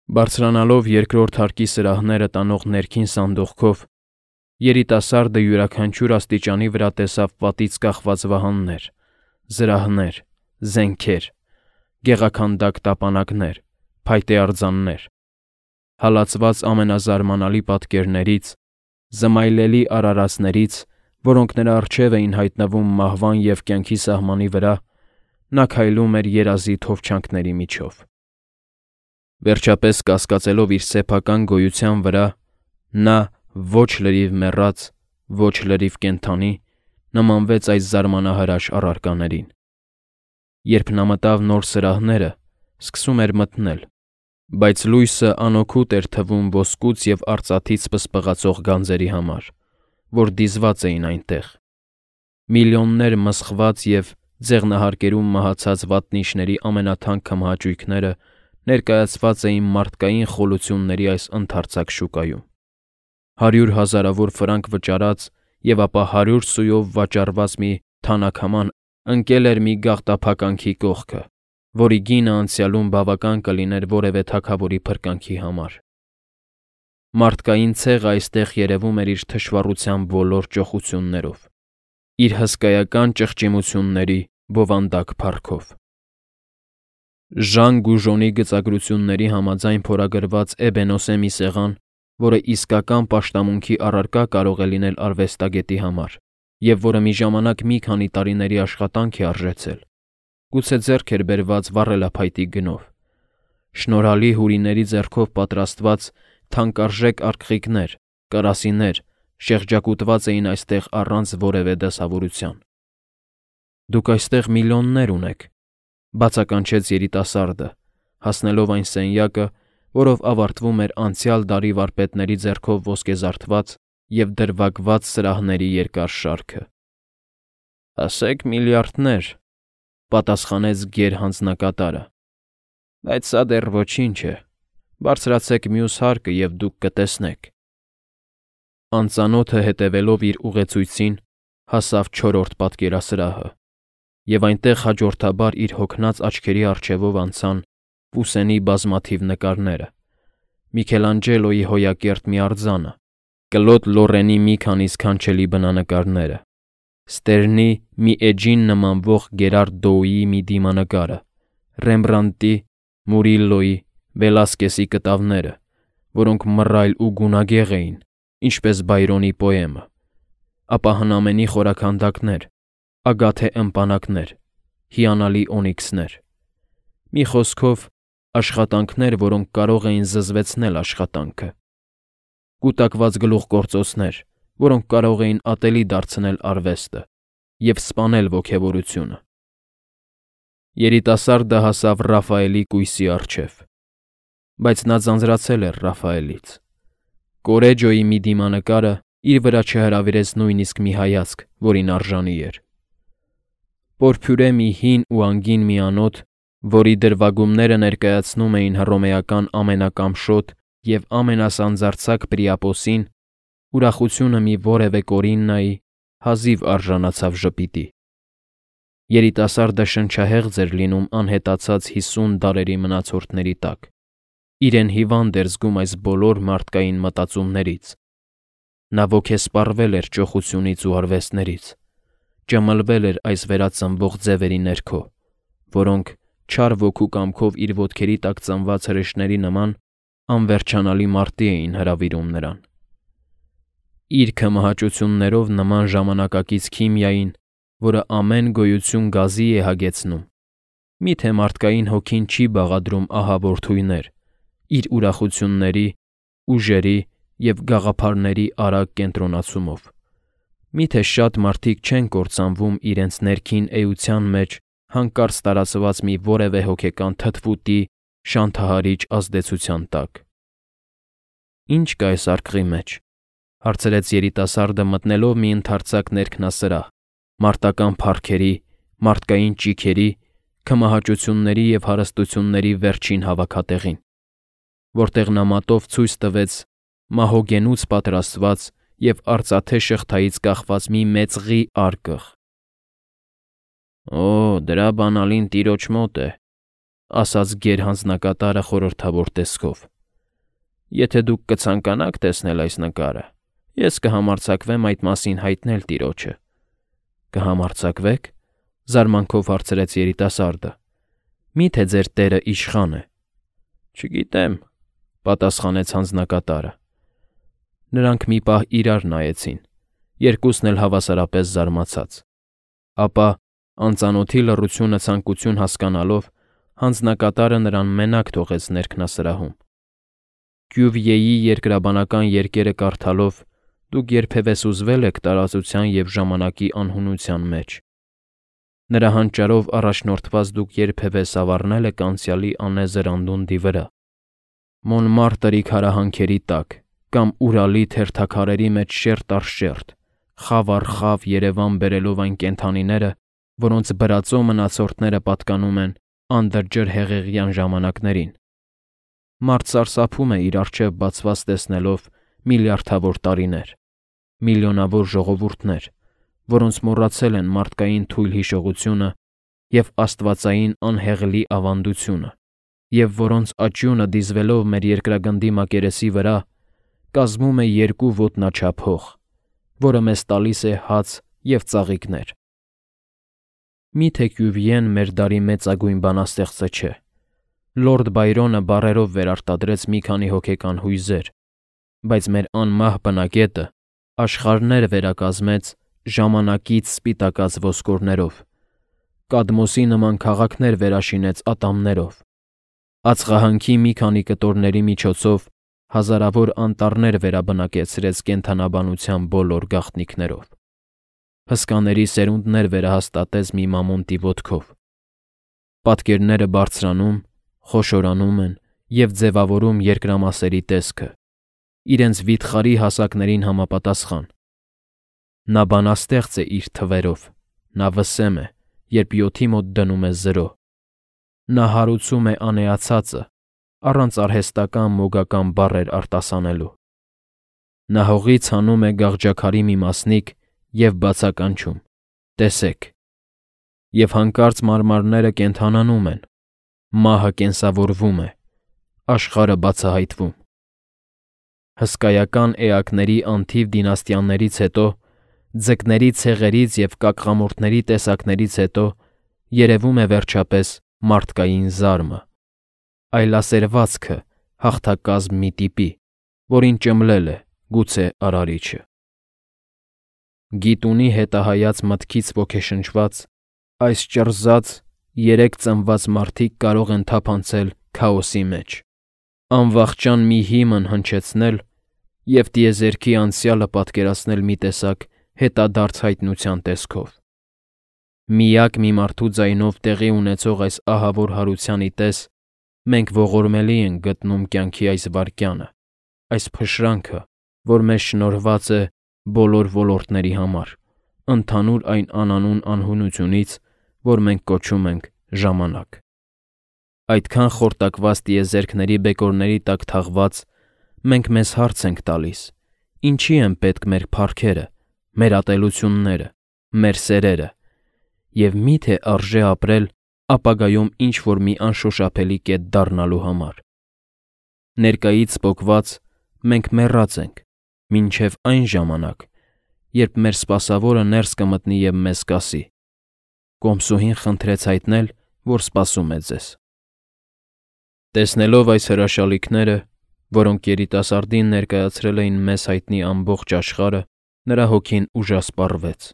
Բարձրանալով երկրորդ հարկի սրահները տանող ներքին սանդուղքով, երիտասարդը յուրաքանչյուր աստիճանի վրա տեսավ պատից կախված վահաններ, զրահներ, զենքեր, գեղաքանդակ տապանակներ, փայտե արձաններ, հալածված ամենազարմանալի պատկերներից, զմայլելի արարածներից, որոնք նրա առջև էին հայտնվում մահվան և կյանքի սահմանի վրա, նա քայլում էր երազի թովչանքների միջով։ Վերջապես կասկածելով իր սեփական գոյության վրա, նա ոչ լրիվ մեռած, ոչ լրիվ կենդանի, նմանվեց այս զարմանահրաշ առարկաներին։ Երբ նա մտավ նոր սրահները, սկսում էր մթնել, բայց լույսը անօգուտ էր թվում ոսկուց և արծաթից պսպղացող գանձերի համար, որ դիզված էին այնտեղ։ Միլիոններ մսխված և ձեղնահարկերում մահացած վատնիչների ամենաթանկ քմահաճույքները ներկայացված էին մարդկային խոլությունների այս ընդարձակ շուկայում։ 100 հազարավոր ֆրանկ վճարած և ապա 100 սույով վաճառված մի թանաքաման ընկել էր մի գաղտափականքի կողքը, որի գինը անցյալում բավական կլիներ որևէ թագավորի փրկանքի համար։ Մարդկային ցեղը այստեղ երևում էր իր թշվառության բոլոր ճոխություններով, իր հսկայական ճղճիմությունների բովանդակ փառքով։ Ժան Գուժոնի գծագրությունների համաձայն փորագրված Էբենոսե մի սեղան, որը իսկական պաշտամունքի առարկա կարող է լինել արվեստագետի համար, և որը մի ժամանակ մի քանի տարիների աշխատանք է արժեցել, գուցե ձեռք էր բերված վառելափայտի գնով։ Շնորհալի հուրիների ձեռքով պատրաստված թանկարժեք արկղիկներ, կարասիներ շեղջակուտված էին այստեղ առանց որևէ դասավորության։ Դուք այստեղ միլիոններ ունեք, բացականչեց երիտասարդը, հասնելով այն սենյակը, որով ավարտվում էր անցյալ դարի վարպետների ձեռքով ոսկեզարդված և դրվագված սրահների երկար շարքը։ Ասեք միլիարդներ, պատասխանեց գերհանձնակատարը, բայց սա դեռ ոչինչ է, բարձրացեք մյուս հարկը և դուք կտեսնեք։ Անծանոթը հետևելով իր ուղեցույցին, հասավ չորրորդ պատկերասրահը, և այնտեղ հաջորդաբար իր հոգնած աչքերի առջևով անցան Պուսենի բազմաթիվ նկարները, Միքելանջելոյի հոյակերտ մի արձանը, Կլոդ Լորենի մի քանի սքանչելի բնանկարները, Ստերնի մի էջին նմանվող Գերարդ Դոուի մի դիմանկարը, Ռեմբրանդտի, Մուրիլլոյի, Վելասկեսի կտավները, որոնք մռայլ ու գունագեղ էին, ինչպես Բայրոնի պոեմը, ապա հնամենի խորաքանդակներ, ագաթե ըմպանակներ, հիանալի օնիքսներ։ Մի խոսքով, աշխատանքներ, որոնք կարող էին զզվեցնել աշխատանքը, կուտակված գլուխգործոցներ, որոնք կարող էին ատելի դարձնել արվեստը և սպանել ոգևորությունը։ Երիտասարդը հասավ Ռաֆայելի կույսի առջև, բայց նա ձանձրացել էր Ռաֆայելից։ Կորեջոյի մի դիմանկարը իր վրա չհրավիրեց նույնիսկ մի հայացք, որին արժանի էր։ Պորփյուրե մի հին ու անգին մի անոթ, որի դրվագումները ներկայացնում էին հռոմեական ամենակամշոտ և ամենասանձարձակ Պրիապոսին, ուրախությունը մի որևէ Կորիննայի, հազիվ արժանացավ ժպիտի։ Երիտասարդը շնչահեղձ էր լինում անհետացած 50 դարերի մնացորդների տակ, իրեն հիվանդ էր զգում այս բոլոր մարդկային մտածումներից։ Նա ոգեսպառվել էր ճոխությունից ու արվեստներից, ճմլվել էր այս վերածնվող ձևերի ներքո, որոնք, չար ոգու կամքով իր ոտքերի տակ ծնված հրեշների նման, անվերջանալի մարտի էին հրավիրում նրան։ Իր քմահաճություններով նման ժամանակակից քիմիային, որը ամեն գոյություն գազի է հագեցնում, միթե մարդկային հոգին չի բաղադրում ահավոր թույներ, իր ուրախությունների, ուժերի և գաղափարների արագ կենտրոնացումով։ Միթե շատ մարդիկ չեն կործանվում իրենց ներքին էության մեջ հանկարծ տարածված մի որևէ հոգեկան թթվուտի շանթահարիչ ազդեցության տակ։ Ինչ կա այս արկղի մեջ, հարցրեց երիտասարդը մտնելով մի ընդարձակ ներքնասրահ, մարտական փառքերի, մարդկային ճիգերի, քմահաճությունների և հարստությունների վերջին հավաքատեղին, որտեղ նա մատով ցույց տվեց մահոգենուց պատրաստված և արծաթե շղթայից կախված մի մեծղի արկղ։ Օ, դրա բանալին տիրոջ մոտ է, ասաց գերհանձնակատարը խորհրդավոր տեսքով։ Եթե դուք կցանկանաք տեսնել այս նկարը, ես կհամարձակվեմ այդ մասին հայտնել տիրոջը։ Կհամարձակվեք, զարմանքով հարցրեց երիտասարդը։ Միթե ձեր տերը իշխան է։ Չգիտեմ, պատասխանեց հանձնակատարը։ Նրանք մի պահ իրար նայեցին, երկուսն էլ հավասարապես զարմացած։ Ապա, անծանոթի լռությունը ցանկություն հասկանալով, հանձնակատարը նրան մենակ թողեց ներքնասրահում։ Կյուվիեի երկրաբանական երկերը կարդալով դուք երբևէ սուզվել եք տարածության և ժամանակի անհունության մեջ։ Նրա հանճարով առաջնորդված դուք երբևէ սավառնել եք անցյալի անեզր անդունդի վրա, Մոնմարտրի քարահանքերի տակ կամ Ուրալի թերթաքարերի մեջ շերտ առ շերտ, խավ առ խավ Երևան բերելով այն կենդանիները, որոնց բրածո մնացորդները պատկանում են անդրջր հեղեղյան ժամանակներին։ Մարդ սարսափում է իր առջև բացված տեսնելով միլիարդավոր տարիներ, միլիոնավոր ժողովուրդներ, որոնց մոռացել են մարդկային թույլ հիշողությունը և աստվածային անհեղլի ավանդությունը, և որոնց աճյունը դիզվելով մեր երկրագնդի մակերեսի վրա, կազմում է երկու ոտնաչափ հող, որը մեզ տալիս է հաց և ծաղիկներ։ Միթե Կյուվիեն մեր դարի մեծագույն բանաստեղծը չէ։ Լորդ Բայրոնը բառերով վերարտադրեց մի քանի հոգեկան հույզեր, բայց մեր անմահ բնակետը աշխարհներ վերակազմեց ժամանակից սպիտակած ոսկորներով, Կադմոսի նման քաղաքներ վերաշինեց ատամներով, ածխահանքի մի քանի կտորների միջոցով հազարավոր անտառներ վերաբնակեցրեց կենդանաբանության բոլոր գաղտնիքներով, հսկաների սերունդներ վերահաստատեց մի մամոնտի ոտքով, պատկերները բարձրանում, խոշորանում են և ձևավորում երկրամասերի տեսքը, իրենց վիթխարի հասակներին համապատասխան։ Նա բանաստեղծ է իր թվերով, նա վսեմ է, երբ 7-ի մոտ դնում է 0։ Նա հարուցում է անեացածը, առանց արհեստական մոգական բառեր արտասանելու։ Նա հողից հանում է գաղջաքարի մի մասնիկ և բացականչում. տեսեք։ Եվ հանկարծ մարմարները կենդանանում են, մահը կենսավորվում է, աշխարհը բացահայտվում։ Հսկայական էակների անթիվ դինաստիաներից հետո, ձկների ցեղերից և կակղամուրդների տեսակներից հետո երևում է վերջապես մարդկային զարմը, այլասերվածքը հաղթակազմ մի տիպի, որին ճմլել է գուցե Արարիչը։ Գիտունի հետահայաց մտքից ոգեշնչված, այս ճռզած, երեք ծնված մարդիկ կարող են թափանցել քաոսի մեջ, անվախճան մի հիմն հնչեցնել և տիեզերքի անցյալը պատկերացնել մի տեսակ հետադարձ հայտնության տեսքով։ Միակ մի մարդու ձայնով տեղի ունեցող այս ահավոր հարությանի պես մենք ողորմելի ենք գտնում կյանքի այս վայրկյանը, այս փշրանքը, որ մեզ շնորհված է բոլոր ոլորտների համար, ընդհանուր այն անանուն անհունությունից, որ մենք կոչում ենք ժամանակ։ Այդքան խորտակված տիեզերքների բեկորների տակ թաղված, մենք մեզ հարց ենք տալիս. ինչի են պետք մեր փառքերը, մեր ատելությունները, մեր սերերը, և մի՞թե արժե ապրել ապագայում ինչ-որ մի անշոշափելի կետ դառնալու համար։ Ներկայից պոկված մենք մեռած ենք, մինչև այն ժամանակ, երբ մեր սպասավորը ներս կմտնի և մեզ կասի. «Կոմսուհին խնդրեց հայտնել, որ սպասում է ձեզ»։ Տեսնելով այս հրաշալիքները, որոնք երիտասարդին ներկայացրել էին մեզ հայտնի ամբողջ աշխարհը, նրա հոգին ուժասպառվեց,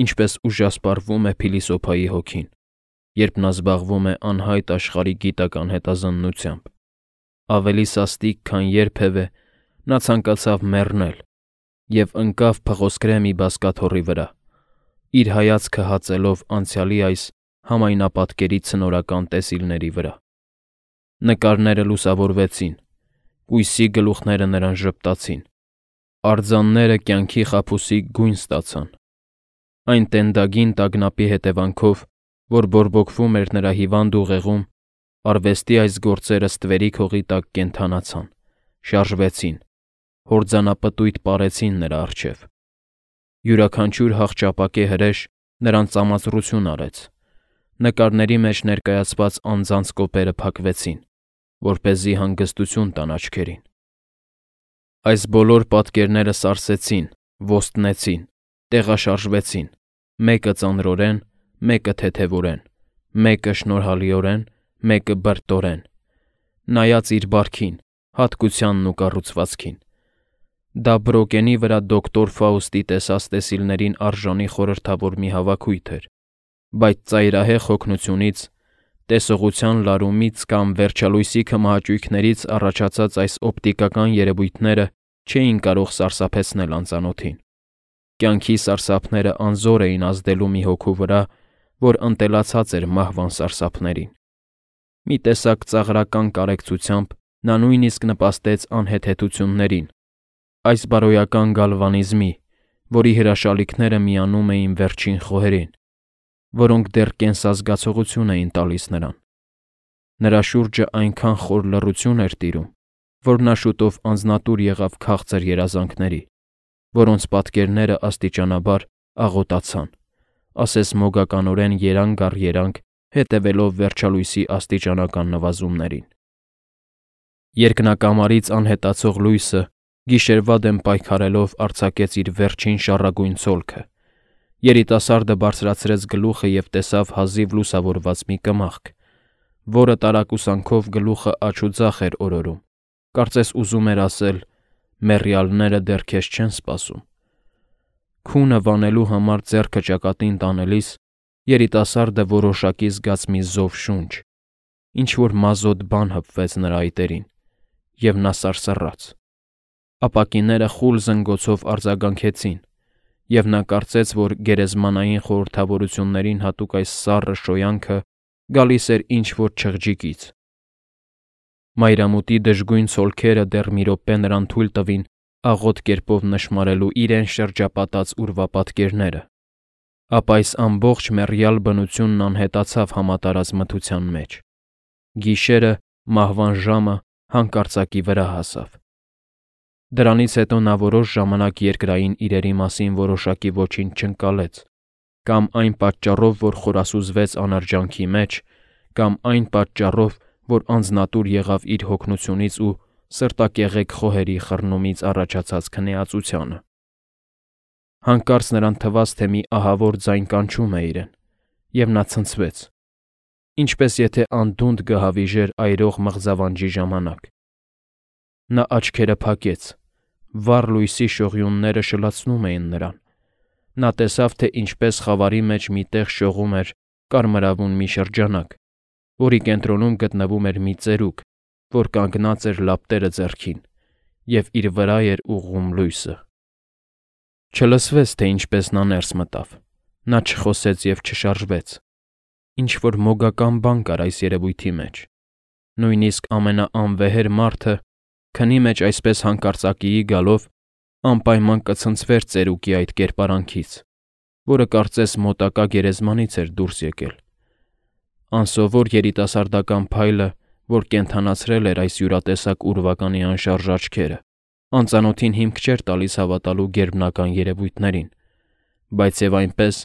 ինչպես ուժասպառվում է փիլիսոփայի հոգին, երբ նա զբաղվում է անհայտ աշխարհի գիտական հետազննությամբ։ Ավելի սաստիկ, քան երբևէ, նա ցանկացավ մեռնել և ընկավ փղոսկրե մի բազկաթոռի վրա, իր հայացքը հածելով անցյալի այս համայնապատկերի ցնորական տեսիլների վրա։ Նկարները լուսավորվեցին, կույսի գլուխները նրան ժպտացին, արձանները կյանքի խաբուսիկ գույն ստացան։ Այն տենդագին տագնապի հետևանքով, որ բորբոքվում էր նրա հիվանդ ուղեղում, արվեստի այս գործերը ստվերի հողի տակ կենդանացան, շարժվեցին, հորձանապտույտ պարեցին նրա առջև։ Յուրաքանչյուր հախճապակե հրեշ նրան ծամածրություն արեց։ Նկարների մեջ ներկայացված անձանց կոպերը փակվեցին, որպեսզի հանգստություն տան աչքերին։ Այս բոլոր պատկերները սարսեցին, ոստնեցին, տեղաշարժվեցին, մեկը ծանրորեն, մեկը թեթևորեն, մեկը շնորհալիորեն, մեկը բրտորեն, նայած իր բարքին, հատկությանն ու կառուցվածքին։ Դա Բրոկենի վրա դոկտոր Ֆաուստի տեսած տեսիլներին արժանի խորհրդավոր մի հավաքույթ էր, բայց ծայրահեղ հոգնությունից, տեսողության լարումից կամ վերջալույսի քմահաճույքներից առաջացած այս օպտիկական երևույթները չէին կարող սարսափեցնել անծանոթին։ Կյանքի սարսափները անզոր էին ազդելու մի հոգու վրա, որ ընտելացած էր մահվան սարսափներին։ Մի տեսակ ծաղրական կարեկցությամբ նա նույնիսկ նպաստեց անհեթեթություններին, այս բարոյական գալվանիզմի, որի հրաշալիքները միանում էին վերջին խոհերին, որոնք դեռ կենսազգացողություն էին տալիս նրան։ Նրա շուրջը այնքան խոր լռություն էր տիրում, որ նա շուտով անձնատուր եղավ քաղցր երազանքների, որոնց պատկերները աստիճանաբար աղոտացան, ասես մոգականորեն երանգ առ երանգ հետևելով վերջալույսի աստիճանական նվազումներին։ Երկնակամարից անհետացող լույսը գիշերվա դեմ պայքարելով արձակեց իր վերջին շառագույն ցոլքը։ Երիտասարդը բարձրացրեց գլուխը և տեսավ հազիվ լուսավորված մի կմախք, որը տարակուսանքով գլուխը աջ ու ձախ էր օրորում, կարծես ուզում էր ասել. «Մեռյալները դեռ քեզ չեն սպասում»։ Քունը վանելու համար ձեռքը ճակատին տանելիս երիտասարդը որոշակի զգաց մի զով շունչ, ինչ-որ մազոտ բան հպվեց նրա այտերին, և նա սարսռաց։ Ապակիները խուլ զնգոցով արձագանքեցին, և նա կարծեց, որ գերեզմանային խորհրդավորություններին հատուկ այս սառը շոյանքը գալիս էր ինչ-որ չղջիկից։ Մայրամուտի դժգույն ցոլքերը դեռ մի րոպե նրան թույլ տվին աղոտ կերպով նշմարելու իրեն շրջապատած ուրվապատկերները, ապա այս ամբողջ մեռյալ բնությունն անհետացավ համատարած մթության մեջ։ Գիշերը, մահվան ժամը հանկարծակի վրա հասավ։ Դրանից հետո նա որոշ ժամանակ երկրային իրերի մասին որոշակի ոչինչ չընկալեց, կամ այն պատճառով, որ խորասուզվեց անարժանքի մեջ, կամ այն պատճառով, որ անձնատուր եղավ իր հոգնությունից ու սրտակեղեկ խոհերի խռնումից առաջացած քնեածությանը։ Հանկարծ նրան թվաց, թե մի ահավոր ձայն կանչում է իրեն, և նա ցնցվեց, ինչպես եթե անդունդը գահավիժեր այրող մղձավանջի ժամանակ։ Նա աչքերը փակեց, վառ լույսի շողյունները շլացնում էին նրան։ Նա տեսավ, թե ինչպես խավարի մեջ մի տեղ շողում էր կարմրավուն մի շրջանակ, որի կենտրոնում գտնվում էր մի ծերուկ, որ կանգնած էր լապտերը ձեռքին, և իր վրա էր ուղղում լույսը։ Չլսվեց, թե ինչպես նա ներս մտավ։ Նա չխոսեց և չշարժվեց։ Ինչ-որ մոգական բան կար այս երևույթի մեջ։ Նույնիսկ ամենաանվեհեր մարդը, քնի մեջ այսպես հանկարծակիի գալով, անպայման կցնցվեր ծերուկի այդ կերպարանքից, որը կարծես մոտակա գերեզմանից էր դուրս եկել։ Անսովոր երիտասարդական փայլը, որ կենդանացրել էր այս յուրատեսակ ուրվականի անշարժ աչքերը, անծանոթին հիմք չէր տալիս հավատալու գերբնական երևույթներին, բայց և այնպես,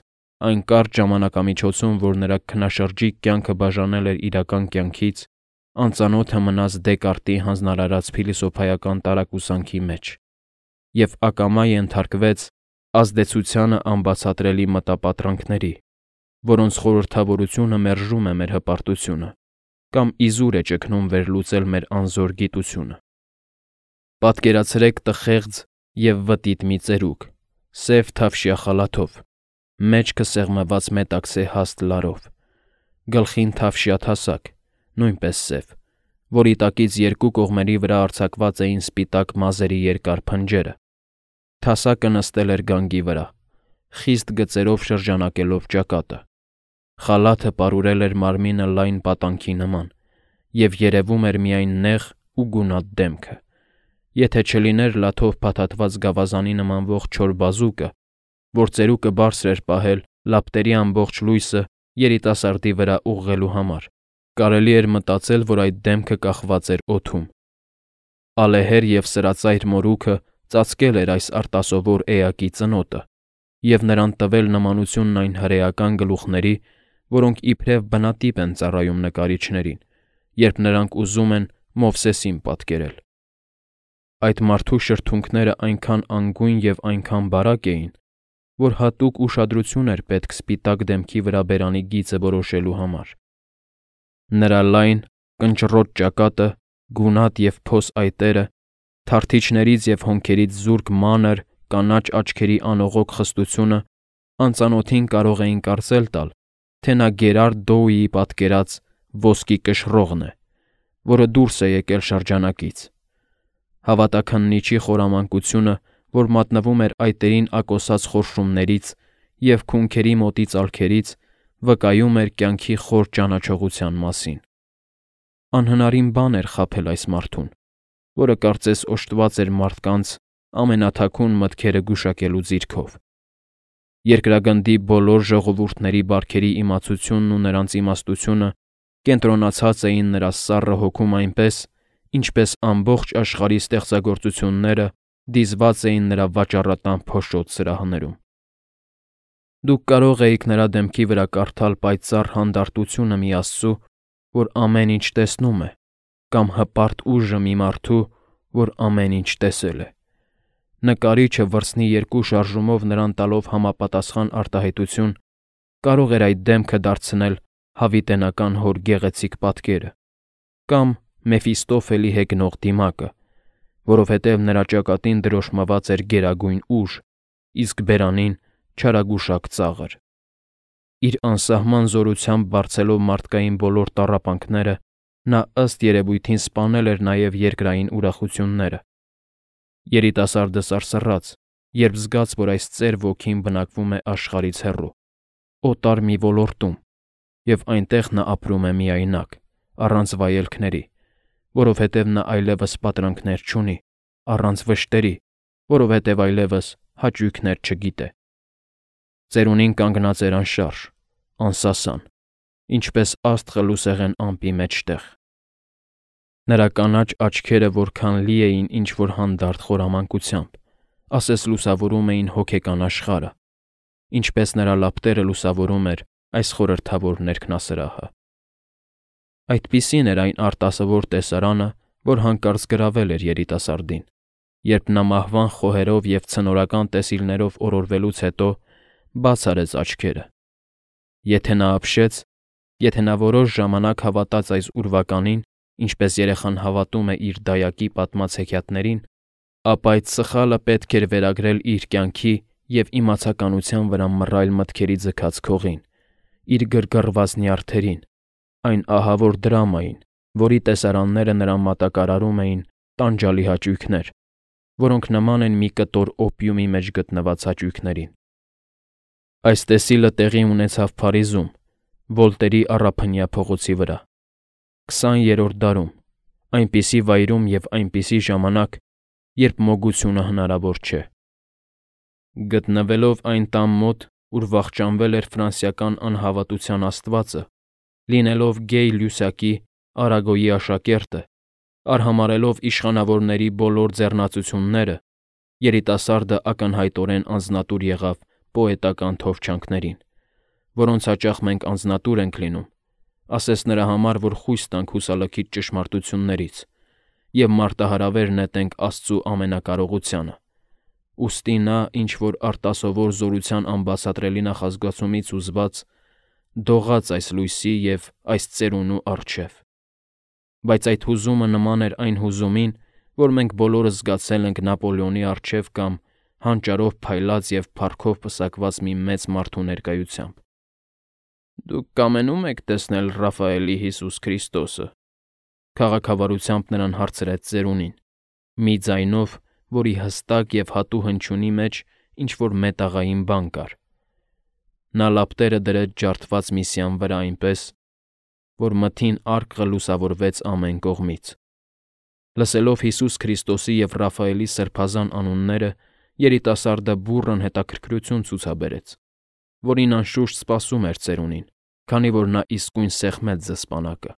այն կարճ ժամանակամիջոցում, որ նրա քնաշրջիկ կյանքը բաժանել էր իրական կյանքից, անծանոթը մնաց Դեկարտի հանձնարարած փիլիսոփայական տարակուսանքի մեջ և ակամա ենթարկվեց ազդեցությանը անբացատրելի մտապատրանքների, որոնց խորհրդավորությունը մերժում է մեր հպարտությունը կամ իզուր է ճգնում վերլուծել մեր անզոր գիտությունը։ Պատկերացրեք տխեղձ և վտիտ մի ծերուկ, սև թավշյա խալաթով, մեջքը սեղմված մետաքսե հաստ լարով, գլխին թավշյա թասակ, նույնպես սև, որի տակից երկու կողմերի վրա արձակված էին սպիտակ մազերի երկար փնջերը։ Թասակը նստել էր գանգի վրա, խիստ գծերով շրջանակելով ճակատը։ Խալաթը պարուրել էր մարմինը լայն պատանքի նման, և երևում էր միայն նեղ ու գունատ դեմքը։ Եթե չլիներ լաթով փաթաթված գավազանի նմանվող չոր բազուկը, որ ծերուկը բարձր էր պահել լապտերի ամբողջ լույսը երիտասարդի վրա ուղղելու համար, կարելի էր մտածել, որ այդ դեմքը կախված էր օդում։ Ալեհեր և սրածայր մորուքը ծածկել էր այս արտասովոր էակի ծնոտը և նրան տվել նմանությունն այն հրեական գլուխների, որոնք իբրև բնատիպ են ծառայում նկարիչներին, երբ նրանք ուզում են Մովսեսին պատկերել։ Այդ մարդու շրթունքները այնքան անգույն և այնքան բարակ էին, որ հատուկ ուշադրություն էր պետք սպիտակ դեմքի վրա բերանի գիծը որոշելու համար։ Նրա լայն, կնճռոտ ճակատը, գունատ և փոս այտերը, թարթիչներից և հոնքերից զուրկ մանր, կանաչ աչքերի անողոք խստությունը անծանոթին կարող էին կարծել տալ, թե նա Գերարդ Դոուիի պատկերած ոսկի կշռողն է, որը դուրս է եկել շրջանակից։ Հավատաքննիչի խորամանկությունը, որ մատնվում էր այտերին ակոսած խորշումներից և քունքերի մոտից ալքերից, վկայում էր կյանքի խոր ճանաչողության մասին։ Անհնարին բան էր խաբել այս մարդուն, որը կարծես օժտված էր մարդկանց ամենաթաքուն մտքերը գուշակելու ձիրքով։ Երկրագնդի բոլոր ժողովուրդների բարքերի իմացությունն ու նրանց իմաստությունը կենտրոնացած էին նրա սառը հոգում այնպես, ինչպես ամբողջ աշխարհի ստեղծագործությունները դիզված էին նրա վաճառատան փոշոտ սրահներում։ Դուք կարող էիք նրա դեմքի վրա կարդալ պայծառ հանդարտությունը մի Աստծու, որ ամեն ինչ տեսնում է, կամ հպարտ ուժը մի մարդու, որ ամեն ինչ տեսել է։ Նկարիչը վրձնի երկու շարժումով նրան տալով համապատասխան արտահայտություն, կարող էր այդ դեմքը դարձնել հավիտենական հոր գեղեցիկ պատկերը, կամ Մեֆիստոֆելի հեգնող դիմակը, որովհետև նրա ճակատին դրոշմված էր գերագույն ուժ, իսկ բերանին չարագուշակ ծաղր։ Իր անսահման զորությամբ բարձելով մարդկային բոլոր տառապանքները, նա ըստ երևույթին սպանել էր նաև երկրային ուրախությունները։ Երիտասարդը սարսռաց, երբ զգաց, որ այս ծեր ոգին բնակվում է աշխարհից հեռու, օտար մի ոլորտում, և այնտեղ նա ապրում է միայնակ, առանց վայելքների, որովհետև նա այլևս պատրանքներ չունի, առանց վշտերի, որովհետև այլևս հաճույքներ չգիտե։ Ծերունին կանգնած էր անշարժ, անսասան, ինչպես աստղը լուսեղեն ամպի մեջտեղ։ Նրա կանաչ աչքերը որքան լի էին ինչ-որ հանդարտ խորամանկությամբ, ասես լուսավորում էին հոգեկան աշխարհը, ինչպես նրա լապտերը լուսավորում էր այս խորհրդավոր ներքնասրահը։ Այդպիսին էր այն արտասովոր տեսարանը, որ հանկարծ գրավել էր երիտասարդին, երբ նա մահվան խոհերով և ցնորական տեսիլներով օրորվելուց հետո բաց արեց աչքերը։ Եթե նա ապշեց, եթե նա որոշ ժամանակ հավատաց այս ուրվականին, ինչպես երեխան հավատում է իր դայակի պատմած հեքիաթներին, ապա այդ սխալը պետք էր վերագրել իր կյանքի և իմացականության վրա մռայլ մտքերի ձգած քողին, իր գրգռված նյարդերին, այն ահավոր դրամային, որի տեսարանները նրան մատակարարում էին տանջալի հաճույքներ, որոնք նման են մի կտոր օպիումի մեջ գտնված հաճույքներին։ Այս տեսիլը տեղի ունեցավ Փարիզում, Վոլտերի առափնյա փողոցի վրա, 20-րդ դարում, այնպիսի վայրում և այնպիսի ժամանակ, երբ մոգությունը հնարավոր չէ։ Գտնվելով այն տան մոտ, ուր վախճանվել էր ֆրանսիական անհավատության աստվածը, լինելով գեյ Լյուսակի, Արագոյի աշակերտը, արհամարհելով իշխանավորների բոլոր ձեռնացությունները, երիտասարդը ակնհայտորեն անձնատուր եղավ պոետական թովչանքներին, որոնց հաճախ մենք անձնատուր ենք լինում, ասես նրա համար, որ խույս տանք հուսալքիչ ճշմարտություններից և մարտահրավեր նետենք Աստծու ամենակարողությանը։ Ուստի նա, ինչ-որ արտասովոր զորության անբացատրելի նախազգացումից հուզված, դողաց այս լույսի և այս ծերունու առջև։ Բայց այդ հուզումը նման էր այն հուզումին, որ մենք բոլորս զգացել ենք Նապոլեոնի առջև կամ հանճարով փայլած և փառքով պսակված մի մեծ մարդու ներկայությամբ։ «Դուք կամենում եք տեսնել Ռաֆայելի Հիսուս Քրիստոսը», քաղաքավարությամբ նրան հարցրեց ծերունին, մի ձայնով, որի հստակ և հատու հնչյունի մեջ ինչ-որ մետաղային բան կար։ Նա լապտերը դրեց ջարդված միսյան վրա այնպես, որ մթին արկղը լուսավորվեց ամեն կողմից։ Լսելով Հիսուս Քրիստոսի և Ռաֆայելի սրբազան անունները, երիտասարդը բուռն հետաքրքրություն ցուցաբերեց, որին անշուշտ սպասում էր ծերունին, քանի որ նա իսկույն սեղմեց զսպանակը։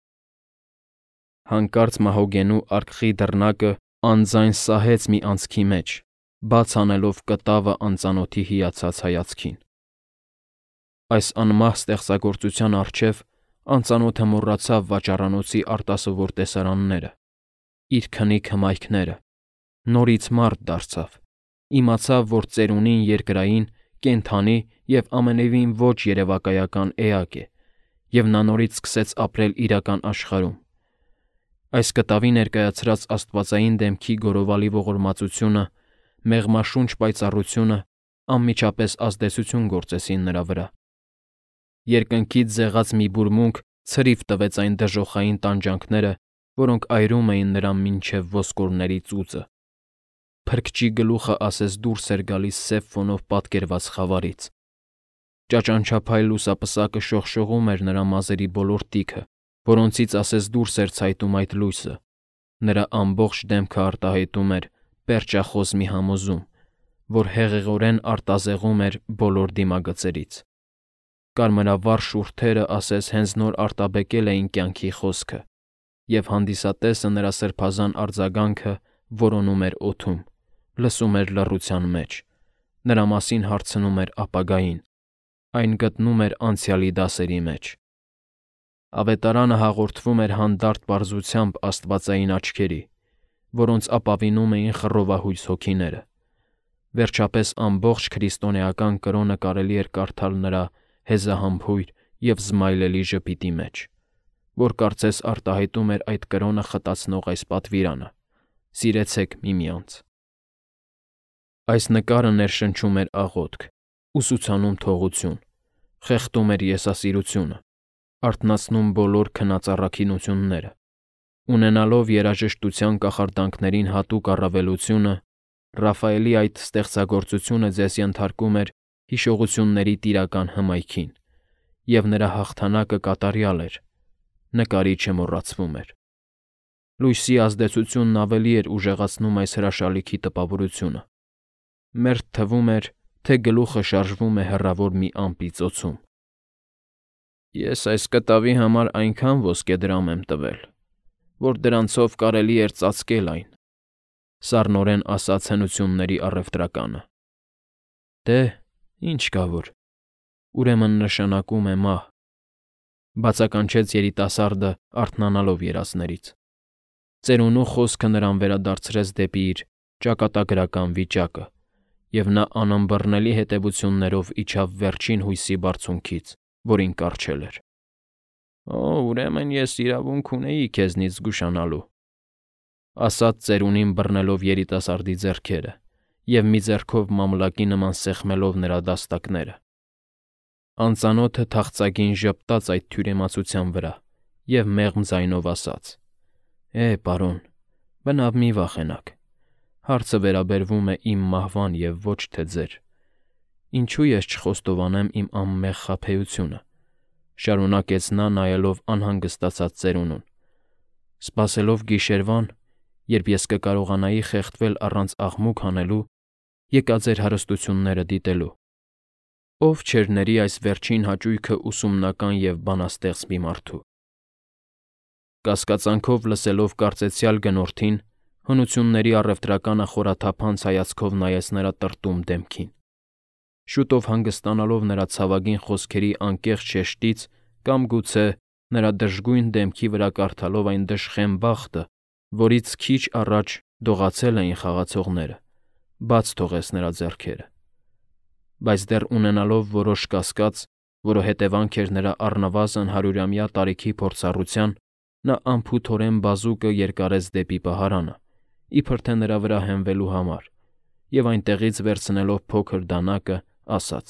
Հանկարծ մահոգենու արկղի դռնակը անձայն սահեց մի անցքի մեջ, բաց անելով կտավը անծանոթի հիացած հայացքին։ Այս անմահ ստեղծագործության առջև անծանոթը մոռացավ վաճառանոցի արտասովոր տեսարանները, իր քնիկ հմայքները, Նորից մարդ դարձավ, իմացավ, որ ծերունին երկրային, կենդանի և ամենևին ոչ երևակայական էակ է, և նա նորից սկսեց ապրել իրական աշխարհում։ Այս կտավի ներկայացրած աստվածային դեմքի գորովալի ողորմածությունը, մեղմաշունչ պայծառությունը անմիջապես ազդեցություն գործեցին նրա վրա։ Երկնքից ձեղած մի բուրմունք ցրիվ տվեց այն դժոխային տանջանքները, որոնք այրում էին նրան մինչև ոսկորների ծուծը։ Փրկչի գլուխը ասես դուրս էր գալիս սև ֆոնով պատկերված խավարից։ Ճաճանչափայլ լուսապսակը շողշողում էր նրա մազերի բոլոր տիքը, որոնցից ասես դուրս էր ցայտում այդ լույսը։ Նրա ամբողջ դեմքը արտահայտում էր պերճախոս մի համոզում, որ հեղեղորեն արտազեղում էր բոլոր դիմագծերից։ Կարմրավառ շուրթերը ասես հենց նոր արտաբեկել էին կյանքի խոսքը, և հանդիսատեսը նրա սրբազան արձագանքը որոնում էր օդում, լսում էր լռության մեջ, նրա մասին հարցնում էր ապագային, այն գտնում էր անցյալի դասերի մեջ։ Ավետարանը հաղորդվում էր հանդարտ պարզությամբ աստվածային աչքերի, որոնց ապավինում էին խռովահույս հոգիները։ Վերջապես ամբողջ քրիստոնեական կրոնը կարելի էր կարդալ նրա հեզահամբույր և զմայլելի ժպիտի մեջ, որ կարծես արտահայտում էր այդ կրոնը խտացնող այս պատվիրանը. «Սիրեցեք միմյանց»։ Այս նկարը ներշնչում էր աղոթք, ուսուցանում թողություն, խեղդում էր եսասիրությունը, արթնացնում բոլոր քնած առաքինությունները։ Ունենալով երաժշտության կախարդանքներին հատուկ առավելությունը, Ռաֆայելի այդ ստեղծագործությունը ձեզ ենթարկում էր հիշողությունների տիրական հմայքին, և նրա հաղթանակը կատարյալ էր, նկարիչը մոռացվում էր։ Լույսի ազդեցությունն ավելի էր ուժեղացնում այս հրաշալիքի տպավորությունը։ Մերթ թվում էր, թե գլուխը շարժվում է հեռավոր մի ամպի ծոցում։ Ես այս կտավի համար այնքան ոսկեդրամ եմ տվել, որ դրանցով կարելի էր ծածկել այն, սառնորեն ասաց հնությունների առևտրականը։ Դե, ինչ կա որ, ուրեմն նշանակում է մահ, բացականչեց երիտասարդը արթնանալով երազներից։ Ծերունու խոսքը նրան վերադարձրեց դեպի իր ճակատագրական վիճակը, և նա անըմբռնելի հետևություններով իջավ վերջին հույսի բարձունքից, որին կառչել էր։ «Օ, ուրեմն ես իրավունք ունեի քեզնից զգուշանալու», ասաց ծերունին բռնելով երիտասարդի ձեռքերը և մի ձեռքով մամլակի նման սեղմելով նրա դաստակները։ Անծանոթը թախծագին ժպտաց այդ թյուրիմացության վրա և մեղմ ձայնով ասաց. պարոն, բնավ մի վախենաք, հարցը վերաբերվում է իմ մահվան և ոչ թե ձեր։ Ինչու ես չխոստովանեմ իմ անմեղ խաբեությունը, շարունակեց նա նայելով անհանգստացած ծերունուն, սպասելով գիշերվան, երբ ես կկարողանայի խեղդվել առանց աղմուկ հանելու, եկա ձեր հարստությունները դիտելու։ Ով չէր ների այս վերջին հաճույքը ուսումնական և բանաստեղծ մի մարդու։ Կասկածանքով լսելով կարծեցյալ գնորդին, հնությունների առևտրականը խորաթափանց հայացքով նայեց նրա տրտում դեմքին։ Շուտով հանգստանալով նրա ցավագին խոսքերի անկեղծ շեշտից կամ գուցե նրա դժգույն դեմքի վրա կարդալով այն դժխեմ բախտը, որից քիչ առաջ դողացել էին խաղացողները, բաց թողեց նրա ձեռքերը։ Բայց դեռ ունենալով որոշ կասկած, որը հետևանք էր նրա առնվազն 100-ամյա տարիքի փորձառության, նա անփութորեն բազուկը երկարեց դեպի պահարանը, իբր թե նրա վրա հենվելու համար, և այնտեղից վերցնելով փոքր դանակը, ասաց.